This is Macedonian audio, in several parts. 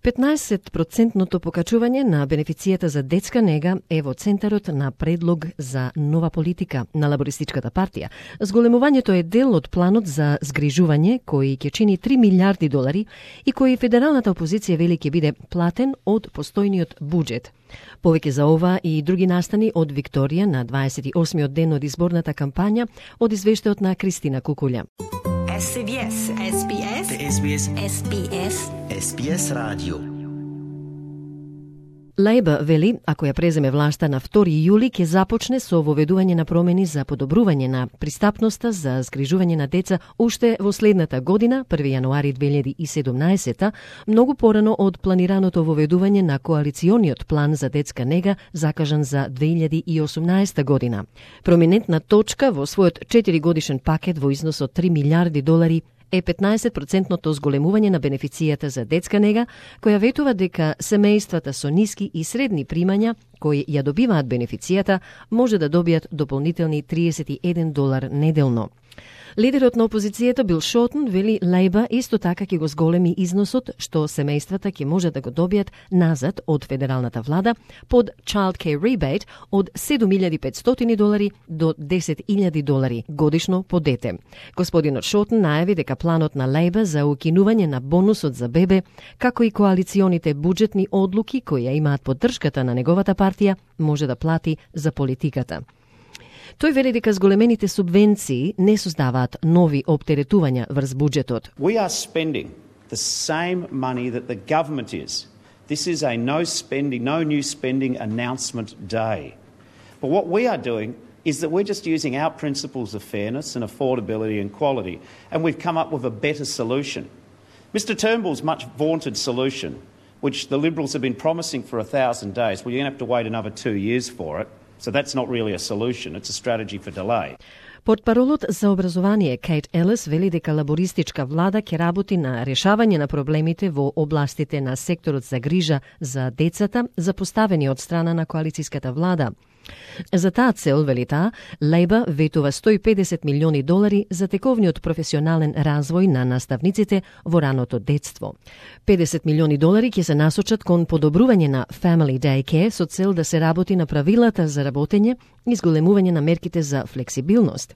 15% покачување на бенефицијата за детска нега е во центарот на предлог за нова политика на Лабористичката партија. Зголемувањето е дел од планот за згрижување кој ќе чини $3 милиарди и кој федералната опозиција вели ќе биде платен од постојниот буџет. Повеќе за ова и други настани од Викторија на 28-миот ден од изборната кампања од извештајот на Кристина Кукулја. SBS Radio. Лајба вели, ако ја преземе власта на 2 јули, ќе започне со воведување на промени за подобрување на пристапноста за згрижување на деца уште во следната година, 1 јануари 2017, многу порано од планираното воведување на коалициониот план за детска нега закажан за 2018 година. Проминентна точка во својот 4-годишен пакет во износ од $3 милиарди е 15% зголемување на бенефицијата за детска нега, која ветува дека семејствата со ниски и средни примања кои ја добиваат бенефицијата може да добијат дополнителни $31 неделно. Лидерот на опозицијата Бил Шортон вели Лајба исто така ќе го зголеми износот што семејствата ќе може да го добијат назад од федералната влада под Child Care Rebate од $7,500 до $10,000 годишно по дете. Господинот Шортон најави дека планот на Лајба за укинување на бонусот за бебе, како и коалиционите буџетни одлуки кои ја имаат поддршката на неговата партија, може да плати за политиката. Тој вели дека зголемените субвенции не создаваат нови оптеретувања врз буџетот. We are spending the same money that the government is. This is a no new spending announcement day. But what we are doing is that we're just using our principles of fairness and affordability and quality, and we've come up with a better solution. Mr Turnbull's much vaunted solution, which the Liberals have been promising for 1,000 days, well, you're going to have to wait another 2 years for it. So that's not really a solution, it's a strategy for delay. Портпаролот за образование Кейт Елис вели дека лабористичка влада ќе работи на решавање на проблемите во областите на секторот за грижа за децата, запоставени од страна на коалицијската влада. За таа цел, вели таа, Лајба ветува $150 милиони за тековниот професионален развој на наставниците во раното детство. $50 милиони ќе се насочат кон подобрување на Family Day Care со цел да се работи на правилата за работење и зголемување на мерките за флексибилност.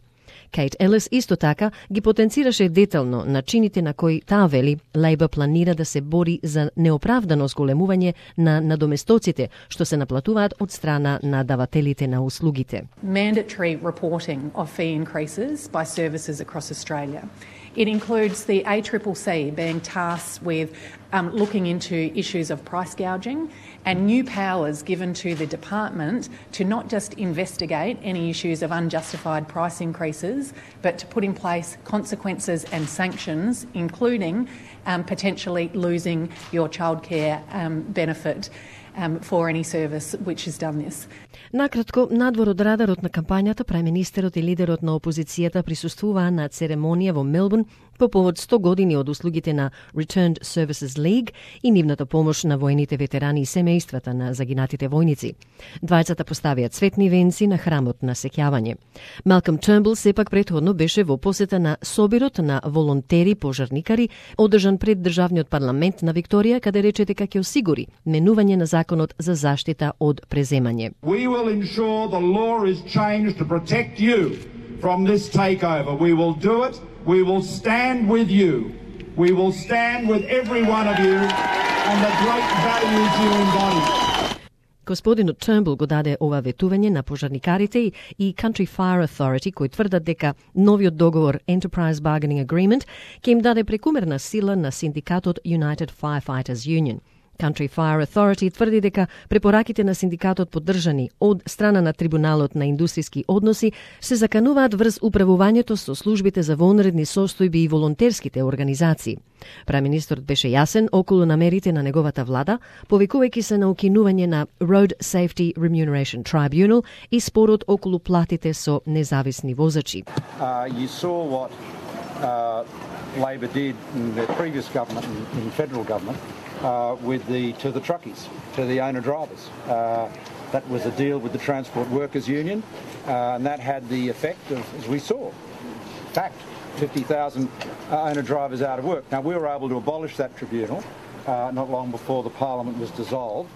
Кейт Елис исто така ги потенцираше детално начините на кои таа вели Лајба планира да се бори за неоправдано зголемување на надоместоците што се наплатуваат од страна на давателите на услугите. Mandatory reporting of fee increases by services across Australia. It includes the ACCC being tasked with looking into issues of price gouging and new powers given to the department to not just investigate any issues of unjustified price increases, but to put in place consequences and sanctions, including potentially losing your childcare benefit for any service which has done this. Накратко, надвор од радарот на кампањата, преминистерот и лидерот на опозицијата присуствуваа на церемонија во Мелбурн по повод 100 години од услугите на Returned Services League и нивната помош на војните ветерани и семејствата на загинатите војници. Двајцата поставија цветни венци на храмот на сеќавање. Малком Turnbull сепак претходно беше во посета на собирот на волонтери пожарникари, одржан пред државниот парламент на Викторија, каде рече дека ќе осигури менување на законот за заштита од преземање. We will ensure the law is changed to protect you from this takeover. We will do it. We will stand with you. We will stand with every one of you and the great values you embody. Господинот Turnbull го даде ова ветување на пожарникарите и Country Fire Authority, кои тврдат дека новиот договор Enterprise Bargaining Agreement ќе им даде прекумерна сила на синдикатот United Firefighters Union. Country Fire Authority тврди дека препораките на синдикатот поддржани од страна на Трибуналот на индустријски односи се закануваат врз управувањето со службите за вонредни состојби и волонтерските организации. Преминистерот беше јасен околу намерите на неговата влада, повикувајќи се на укинување на Road Safety Remuneration Tribunal и спорот околу платите со независни возачи. You saw what Labor did in the previous government, in the federal government, to the truckies, to the owner drivers. That was a deal with the Transport Workers Union, and that had the effect of, as we saw, fact, 50,000 owner drivers out of work. Now, we were able to abolish that tribunal not long before the Parliament was dissolved.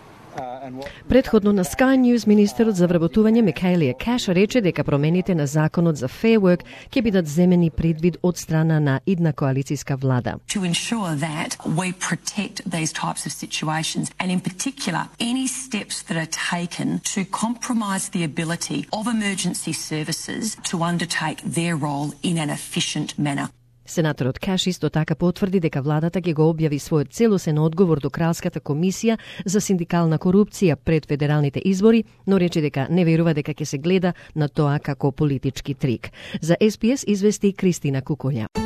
Предходно на Sky News министерот за вработување Микаелија Кеш рече дека промените на законот за Fair Work ќе бидат земени предвид од страна на идна коалицијска влада. To ensure that we protect these types of situations and in particular any steps that are taken to compromise the ability of emergency services to undertake their role in an efficient manner. Сенаторот Кеш исто така потврди дека владата ќе го објави својот целосен одговор до Кралската комисија за синдикална корупција пред федералните избори, но рече дека не верува дека ќе се гледа на тоа како политички трик. За SPS извести Кристина Куколја.